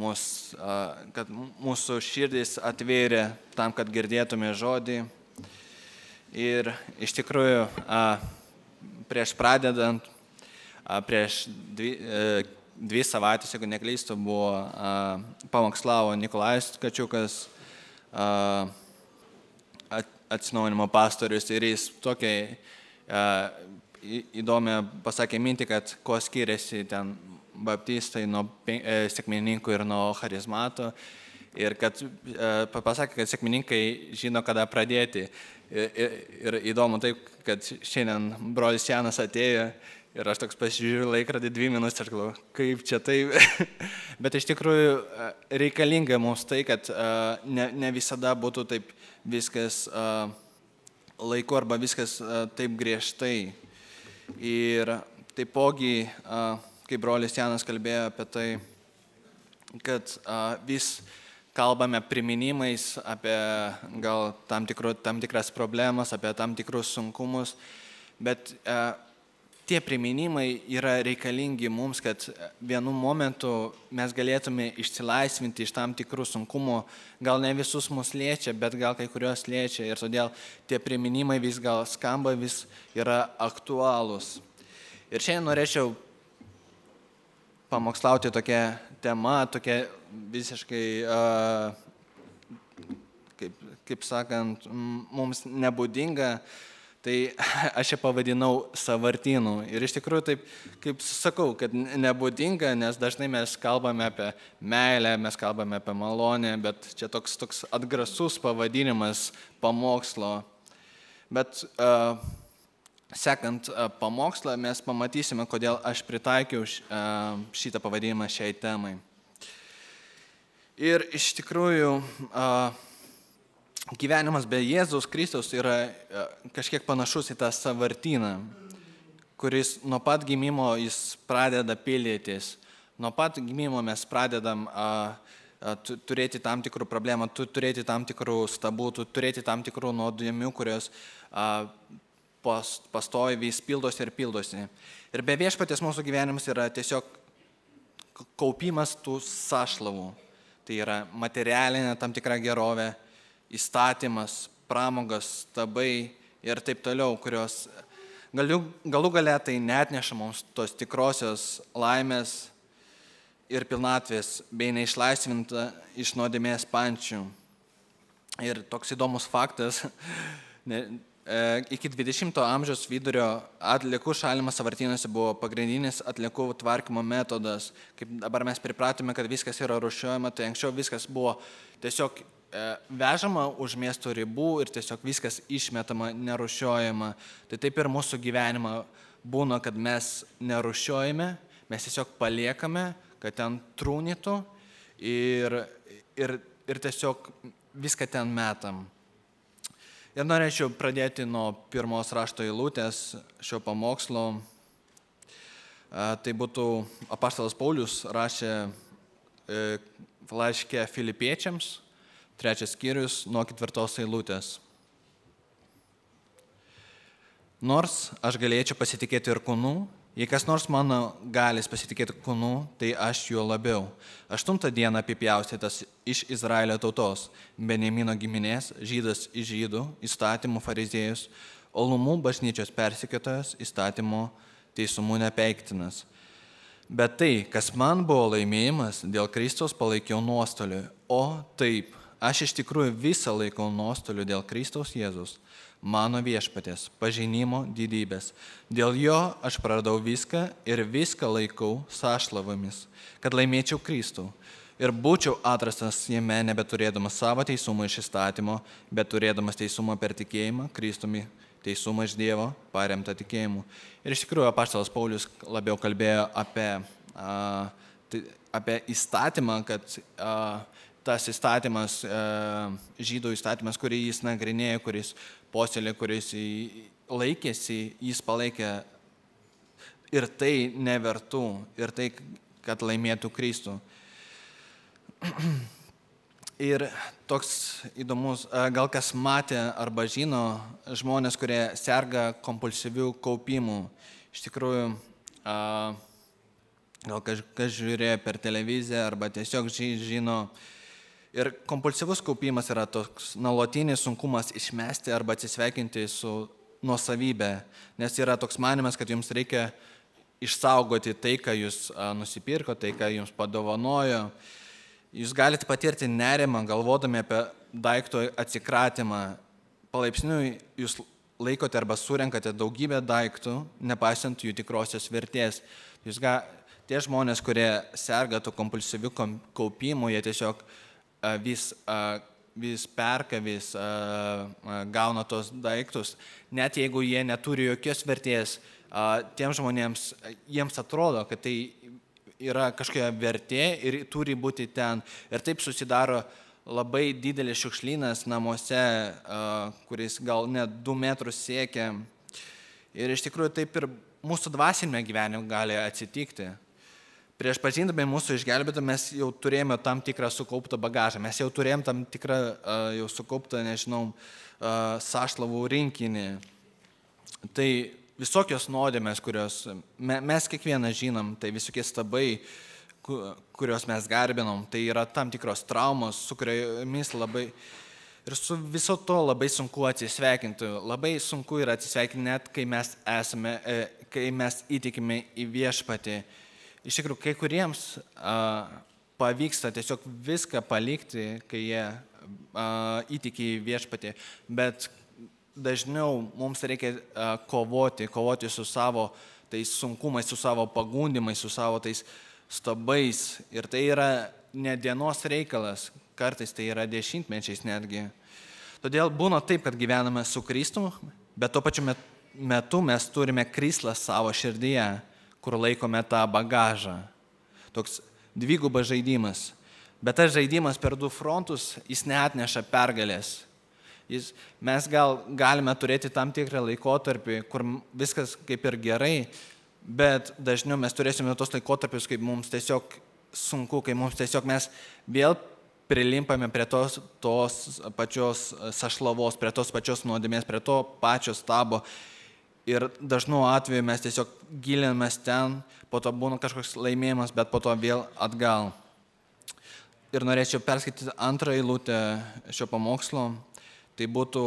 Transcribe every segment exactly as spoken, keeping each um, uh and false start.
mus, kad mūsų širdis atvėrė tam, kad girdėtume žodį. Ir iš tikrųjų, prieš pradedant, prieš dvi, dvi savaitės, jeigu neklystu, buvo pamokslavo Nikolajus Kačiukas, atsinaujinimo pastorius, ir jis tokiai įdomią pasakė mintį, kad kuo skiriasi ten baptistai nuo sekmininkų ir nuo charizmato, ir kad pasakė, kad sekmininkai žino, kada pradėti. Ir, ir, ir įdomu taip, kad šiandien brolis Janas atėjo ir aš toks pasižiūriu laikrodį dvi minutės ir galvoju, kaip čia taip. Bet iš tikrųjų reikalinga mums tai, kad ne, ne visada būtų taip viskas laiku arba viskas taip griežtai. Ir taipogi, kaip brolis Janas kalbėjo apie tai, kad vis kalbame priminimais apie gal tam, tikru, tam tikras problemas, apie tam tikrus sunkumus, bet tie priminimai yra reikalingi mums, kad vienu momentu mes galėtume išsilaisvinti iš tam tikrų sunkumų, gal ne visus mus liečia, bet gal kai kurios liečia, ir todėl tie priminimai vis gal skamba, vis yra aktualūs. Ir šiandien norėčiau pamokslauti tokia tema, tokia visiškai, kaip, kaip sakant, mums nebūdinga. Tai aš ją pavadinau sąvartynu. Ir iš tikrųjų taip, kaip sakau, kad nebūdinga, nes dažnai mes kalbame apie meilę, mes kalbame apie malonę, bet čia toks, toks atgrasus pavadinimas pamokslo. Bet uh, sekant uh, pamokslą mes pamatysime, kodėl aš pritaikiau uh, šitą pavadinimą šiai temai. Ir iš tikrųjų uh, gyvenimas be Jėzaus Kristaus yra kažkiek panašus į tą sąvartyną, kuris nuo pat gimimo jis pradeda pildytis. Nuo pat gimimo mes pradedam a, a, turėti tam tikrų problemų, turėti tam tikrų stabų, turėti tam tikrų nuodėmių, kurios a, pas, pastovi vis pildosi ir pildosi. Ir be viešpaties mūsų gyvenimas yra tiesiog kaupimas tų sąšlavų. Tai yra materialinė tam tikra gerovė, įstatymas, pramogas, stabai ir taip toliau, kurios galų, galų galia tai neatneša mums tos tikrosios laimės ir pilnatvės, bei neišlaisvinta iš nuodėmės pančių. Ir toks įdomus faktas, ne, e, iki dvidešimto amžiaus vidurio atliekų šalinimas sąvartynuose buvo pagrindinis atliekų tvarkymo metodas. Kaip dabar mes pripratome, kad viskas yra rūšiuojama, tai anksčiau viskas buvo tiesiog vežama už miesto ribų ir tiesiog viskas išmetama, nerūšiuojama. Tai taip ir mūsų gyvenimą būna, kad mes nerūšiuojame, mes tiesiog paliekame, kad ten trūnytų ir, ir, ir tiesiog viską ten metam. Ir norėčiau pradėti nuo pirmos rašto eilutės šio pamokslo. Tai būtų apaštalas Paulius rašė laiške Filipiečiams, trečias skyrius nuo ketvirtos eilutės. Nors aš galėčiau pasitikėti ir kūnu, jei kas nors mano galis pasitikėti kūnu, tai aš juo labiau. Aštuntą dieną apipjaustytas iš Izraelio tautos, Benjamino giminės, žydas iš žydų, įstatymų fariziejus, olumų bažnyčios persekiotojas, įstatymų teisumų nepeiktinas. Bet tai, kas man buvo laimėjimas, dėl Kristaus palaikiau nuostoliu, o taip, aš iš tikrųjų visą laikau nuostoliu dėl Kristaus Jėzus, mano viešpaties, pažinimo didybės. Dėl jo aš praradau viską ir viską laikau sąšlavomis, kad laimėčiau Kristų. Ir būčiau atrastas jame nebeturėdamas savo teisumo iš įstatymo, bet turėdamas teisumo per tikėjimą, Kristumi teisumą iš Dievo, paremtą tikėjimu. Ir iš tikrųjų apaštalas Paulius labiau kalbėjo apie, a, apie įstatymą, kad a, tas įstatymas, žydų įstatymas, kurį jis nagrinėjo, kuris posėlė, kuris laikėsi, jis palaikė ir tai nevertų, ir tai, kad laimėtų Kristų. Ir toks įdomus, gal kas matė arba žino žmonės, kurie serga kompulsyvių kaupimų. Iš tikrųjų, gal kažkas žiūrėjo per televiziją arba tiesiog žino. Ir kompulsyvus kaupimas yra toks nuolatinis sunkumas išmesti arba atsisveikinti su nuosavybė, nes yra toks manimas, kad jums reikia išsaugoti tai, ką jūs nusipirko, tai, ką jums padovanojo. Jūs galite patirti nerimą, galvodami apie daikto atsikratymą. Palaipsniui jūs laikote arba surenkate daugybę daiktų, nepaisant jų tikrosios vertės. Jūs ga, tie žmonės, kurie serga tų kompulsyvių kaupimų, jie tiesiog vis, vis perka, vis gauna tos daiktus. Net jeigu jie neturi jokios vertės, tiems žmonėms, jiems atrodo, kad tai yra kažkokia vertė ir turi būti ten. Ir taip susidaro labai didelis šiukšlynas namuose, kuris gal net du metrus siekia. Ir iš tikrųjų taip ir mūsų dvasinėme gyvenime gali atsitikti. Prieš pažindami mūsų išgelbėtą mes jau turėjome tam tikrą sukauptą bagažą. Mes jau turėjome tam tikrą jau sukauptą, nežinau, sąšlavų rinkinį. Tai visokios nuodėmės, kurios mes kiekvieną žinom, tai visokie stabai, kuriuos mes garbinom, tai yra tam tikros traumos, su kuriomis labai ir su viso to labai sunku atsisveikinti. Labai sunku yra atsisveikinti net, kai mes esame, kai mes įtikime į viešpatį. Iš tikrųjų, kai kuriems a, pavyksta tiesiog viską palikti, kai jie a, įtiki į viešpatį, bet dažniau mums reikia a, kovoti, kovoti su savo tais sunkumais, su savo pagundimais, su savo tais stabais. Ir tai yra ne dienos reikalas, kartais tai yra dešimtmečiais netgi. Todėl būna taip, kad gyvename su Kristumi, bet tuo pačiu metu mes turime krislą savo širdyje, kur laikome tą bagažą. Toks dvigubas žaidimas. Bet tas žaidimas per du frontus, jis neatneša pergalės. Jis, mes gal galime turėti tam tikrą laikotarpį, kur viskas kaip ir gerai, bet dažniau mes turėsime tos laikotarpius, kaip mums tiesiog sunku, kai mums tiesiog mes vėl prilimpame prie tos, tos pačios sašlavos, prie tos pačios nuodėmės, prie to pačio stabo. Ir dažnu atveju mes tiesiog gilinamės ten, po to būna kažkoks laimėjimas, bet po to vėl atgal. Ir norėčiau perskaityti antrą eilutę šio pamokslo. Tai būtų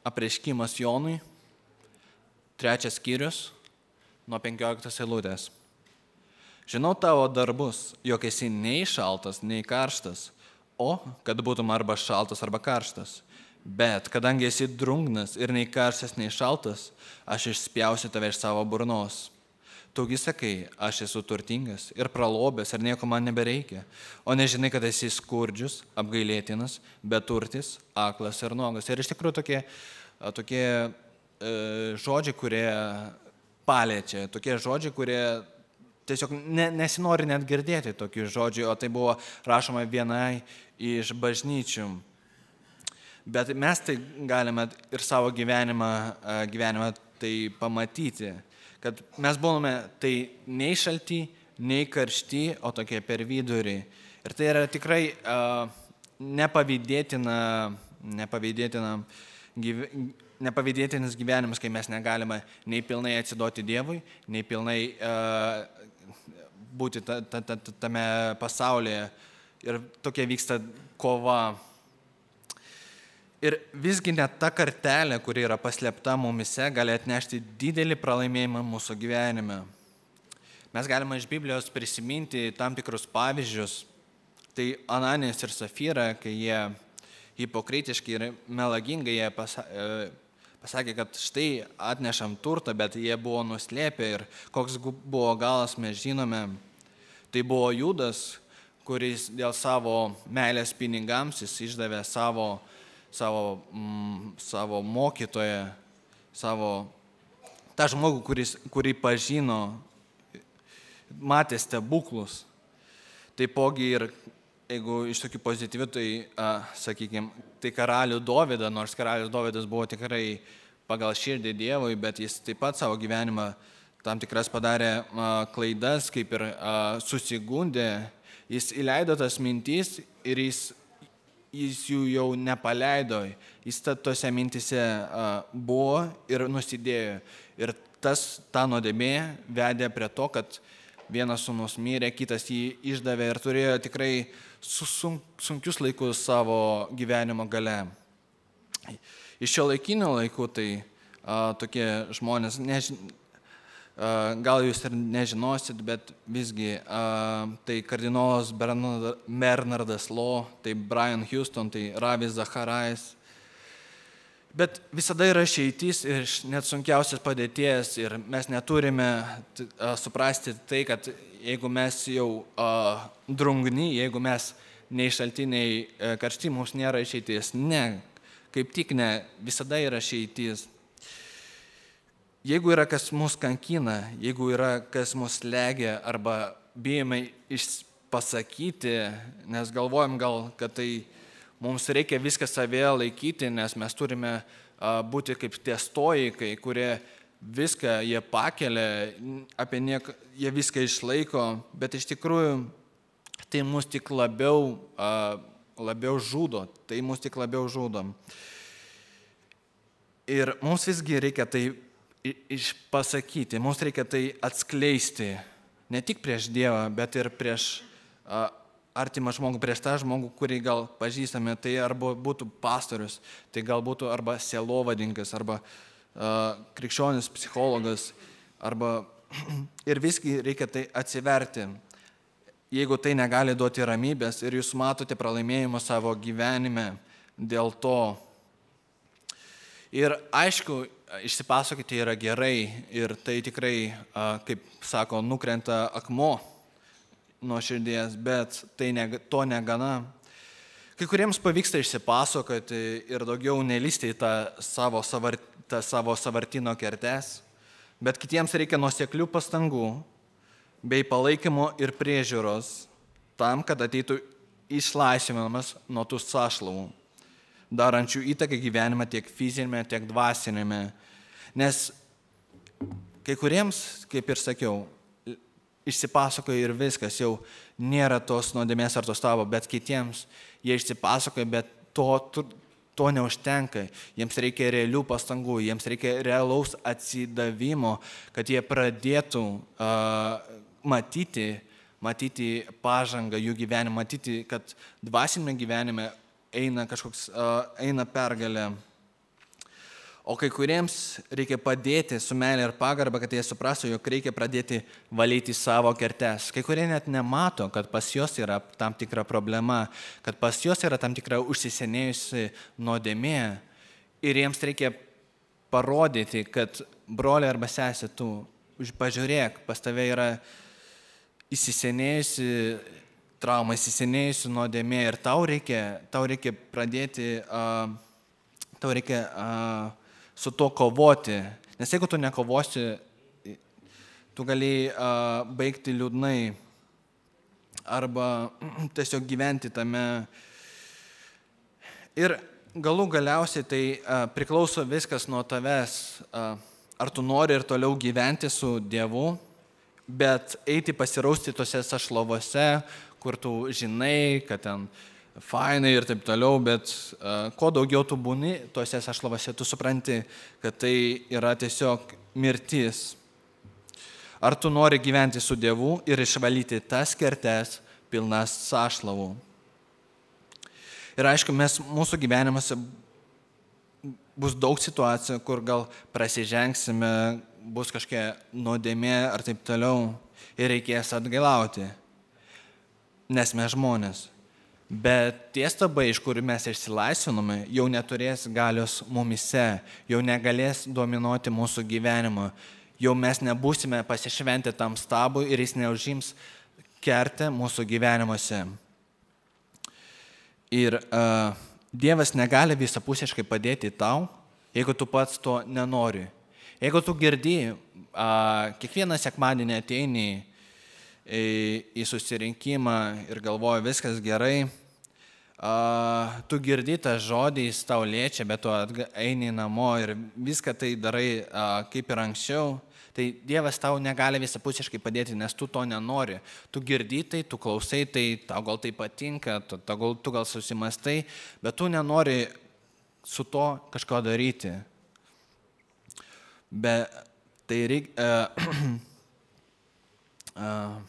apreiškimas Jonui, trečias skyrius, nuo penkioliktos eilutės. Žinau tavo darbus, jog esi nei šaltas, nei karštas, o kad būtum arba šaltas, arba karštas. Bet kadangi esi drungnas ir nei karštas, nei šaltas, aš išspjausiu tave iš savo burnos. Tugi sakai, aš esu turtingas ir pralobęs ir nieko man nebereikia, o nežinai, kad esi skurdžius, apgailėtinas, beturtis, aklas ir nuogas. Ir iš tikrųjų tokie, tokie e, žodžiai, kurie paliečia, tokie žodžiai, kurie tiesiog ne, nesinori net girdėti tokių žodžių, o tai buvo rašoma vienai iš bažnyčių. Bet mes tai galime ir savo gyvenimą, gyvenimą tai pamatyti, kad mes buvome tai nei šalti, nei karšti, o tokie per vidurį. Ir tai yra tikrai uh, nepavydėtina, nepavydėtina, gyve, nepavydėtinas gyvenimas, kai mes negalime nei pilnai atsiduoti Dievui, nei pilnai uh, būti ta, ta, ta, tame pasaulyje. Ir tokia vyksta kova. Ir visgi net ta kartelė, kuri yra paslėpta mumise, gali atnešti didelį pralaimėjimą mūsų gyvenime. Mes galime iš Biblijos prisiminti tam tikrus pavyzdžius. Tai Ananijas ir Safira, kai jie hipokritiškai ir melagingai jie pasakė, kad štai atnešam turtą, bet jie buvo nuslėpę ir koks buvo galas, mes žinome. Tai buvo Judas, kuris dėl savo meilės pinigams jis išdavė savo Savo, mm, savo mokytoją, savo tą žmogų, kuris, kurį pažino, matė stebuklus. Taipogi ir, jeigu iš tokių pozityvių, tai, a, sakykime, tai karalių Dovydą, nors karalius Dovydas buvo tikrai pagal širdį Dievui, bet jis taip pat savo gyvenimą tam tikras padarė a, klaidas, kaip ir a, susigundė. Jis įleido tas mintis ir jis jis jų jau nepaleido, jis tose mintise buvo ir nusidėjo. Ir tas, ta nuodėmė vedė prie to, kad vienas sūnus mirė, kitas jį išdavė ir turėjo tikrai sunkius laikus savo gyvenimo gale. Iš šio laikinio laikų tai a, tokie žmonės, nežin, a, gal jūs ir nežinosit, bet visgi a, tai kardinolas Bernardas Law, tai Brian Houston, tai Ravis Zacharais. Bet visada yra išeitis iš net sunkiausias padėties ir mes neturime a, suprasti tai, kad jeigu mes jau a, drungni, jeigu mes nei šalti, nei a, karšti, mums nėra išeitis. Ne, kaip tik ne, visada yra išeitis. Jeigu yra kas mus kankina, jeigu yra kas mus legia arba bijome pasakyti, nes galvojam gal, kad tai mums reikia viską savėje laikyti, nes mes turime a, būti kaip tie stoikai, kurie viską jie pakelia, apie nieką, jie viską išlaiko, bet iš tikrųjų tai mus tik labiau, a, labiau žudo, tai mus tik labiau žudo. Ir mums visgi reikia tai išpasakyti, mums reikia tai atskleisti, ne tik prieš Dievą, bet ir prieš a, artimą žmogų, prieš tą žmogų, kurį gal pažįstame, tai arba būtų pastorius, tai gal būtų arba sielovadininkas, arba uh, krikščionis psichologas, arba ir visgi reikia tai atsiverti. Jeigu tai negali duoti ramybės ir jūs matote pralaimėjimą savo gyvenime dėl to. Ir aišku, išsipasakoti yra gerai ir tai tikrai, uh, kaip sako, nukrenta akmuo nuo širdies, bet tai ne, to negana. Kai kuriems pavyksta išsipasakoti ir daugiau nelysti į tą savo, savar, tą savo savartino kertes, bet kitiems reikia nuoseklių pastangų bei palaikymo ir priežiūros tam, kad ateitų išlaisvinimas nuo tų sąšlavų, darančių įtaką gyvenime tiek fizinėme, tiek dvasinėme. Nes kai kuriems, kaip ir sakiau, išsipasakoja ir viskas, jau nėra tos nuodėmės ar tos tavo, bet kitiems jie išsipasakoja, bet to, to, to neužtenka. Jiems reikia realių pastangų, jiems reikia realaus atsidavimo, kad jie pradėtų uh, matyti, matyti pažangą jų gyvenime, matyti, kad dvasinėme gyvenime eina kažkoks, uh, eina pergalė. O kai kuriems reikia padėti su meilė ir pagarba, kad jie suprastų, jog reikia pradėti valyti savo kertes. Kai kurie net nemato, kad pas juos yra tam tikra problema, kad pas juos yra tam tikra užsisenėjusi nuodėmė ir jiems reikia parodyti, kad broli arba sesė, tu pažiūrėk, pas tave yra įsisenėjusi trauma, įsisenėjusi nuodėmė ir tau reikia, tau reikia pradėti, uh, tau reikia uh, su to kovoti, nes jeigu tu nekovosi, tu gali uh, baigti liūdnai arba tiesiog gyventi tame. Ir galų galiausiai tai uh, priklauso viskas nuo tavęs, uh, ar tu nori ir toliau gyventi su Dievu, bet eiti pasirausti tose sašlovose, kur tu žinai, kad ten fainai ir taip toliau, bet uh, kuo daugiau tu būni tuose sašlavose, tu supranti, kad tai yra tiesiog mirtis. Ar tu nori gyventi su Dievu ir išvalyti tas kertes pilnas sašlavų? Ir aišku, mes, mūsų gyvenimuose bus daug situacijų, kur gal prasižengsime, bus kažkokia nuodėmė ar taip toliau ir reikės atgailauti, nes mes žmonės. Bet tie stabai, iš kurių mes išsilaisvinome, jau neturės galios mumise, jau negalės dominuoti mūsų gyvenimo, jau mes nebūsime pasišventę tam stabui ir jis neužims kertę mūsų gyvenimuose. Ir uh, Dievas negali visapusiškai padėti tau, jeigu tu pats to nenori. Jeigu tu girdi, uh, kiekvieną sekmadienį ateini į, į susirinkimą ir galvoji, viskas gerai, Uh, tu girdi tą žodį, jis tau liečia, bet tu eini namo ir viską tai darai uh, kaip ir anksčiau, tai Dievas tau negali visapusiškai padėti, nes tu to nenori. Tu girdi tai, tu klausai tai, tau gal tai patinka, tu, tu, tu gal susimastai, bet tu nenori su to kažko daryti. Bet tai reikia... Uh, Uh,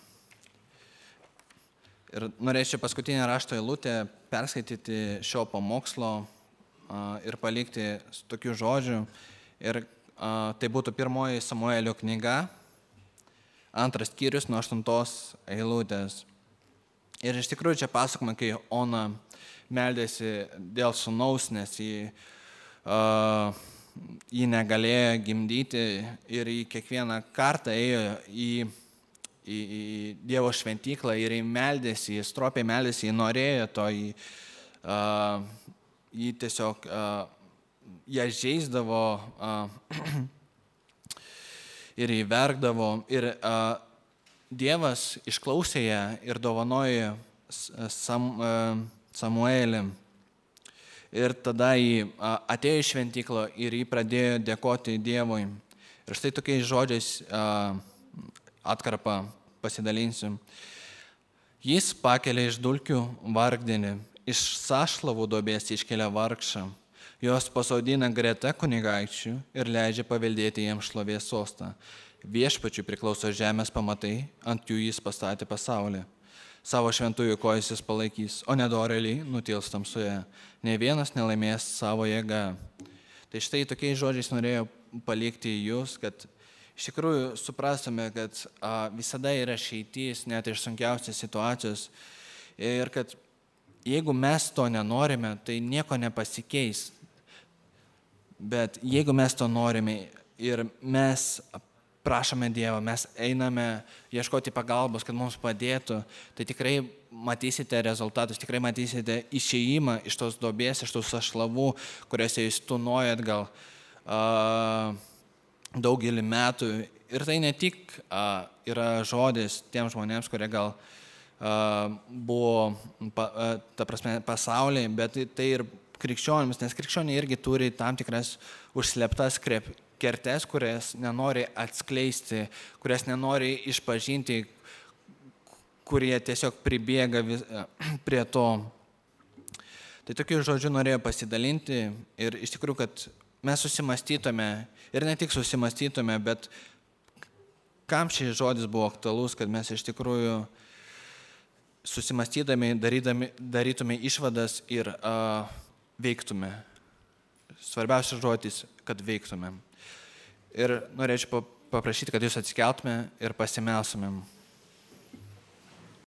ir norėčiau paskutinę rašto eilutę perskaityti šio pamokslo uh, ir palikti tokių žodžių. Ir uh, tai būtų pirmoji Samuelio knyga, antras skyrius nuo aštuntos eilutės. Ir iš tikrųjų čia pasakoma, kai Ona meldėsi dėl sūnaus, nes jį, uh, jį negalėjo gimdyti ir jį kiekvieną kartą ėjo į Į, į Dievo šventyklą ir jį meldėsi, jį stropiai meldėsi, jį norėjo to, jį, uh, jį tiesiog uh, ją žeisdavo uh, ir jį verkdavo. Ir uh, Dievas išklausė ją ir dovanojo Sam, uh, Samuelį. Ir tada jį uh, atėjo į šventyklą ir jį pradėjo dėkoti Dievui. Ir štai tokiais žodžiais uh, atkarpą pasidalinsiu. Jis pakelia iš dulkių vargdienį, iš sąšlavų duobės iškelia vargšą, jos pasodina greta kunigaikščių ir leidžia paveldėti jiems šlovės sostą. Viešpačiui priklauso žemės pamatai, ant jų jis pastatė pasaulį. Savo šventųjų kojas jis palaikys, o nedorėliai nutils tamsoje. Ne vienas nelaimės savo jėgą. Tai štai tokiais žodžiais norėjau palikti jūs, kad iš tikrųjų suprastume, kad a, visada yra išeitis net iš sunkiausios situacijos ir kad jeigu mes to nenorime, tai nieko nepasikeis. Bet jeigu mes to norime ir mes prašome Dievo, mes einame ieškoti pagalbos, kad mums padėtų, tai tikrai matysite rezultatus, tikrai matysite išėjimą iš tos duobės, iš tos ašlavų, kuriuose jūs tūnojat gal a, daugelį metų. Ir tai ne tik a, yra žodis tiems žmonėms, kurie gal a, buvo pa, a, ta prasme, pasaulyje, bet tai, tai ir krikščionims, nes krikščioniai irgi turi tam tikras užslėptas kertes, kurias nenori atskleisti, kurias nenori išpažinti, kurie tiesiog pribėga vis, a, prie to. Tai tokiu žodžiu norėjau pasidalinti ir iš tikrųjų, kad mes susimastytume ir ne tik susimastytume, bet kam šis žodis buvo aktualus, kad mes iš tikrųjų susimastydami, darydami, darytume išvadas ir uh, veiktume. Svarbiausias žodis, kad veiktume. Ir norėčiau paprašyti, kad jūs atsikeltume ir pasimelsumėm.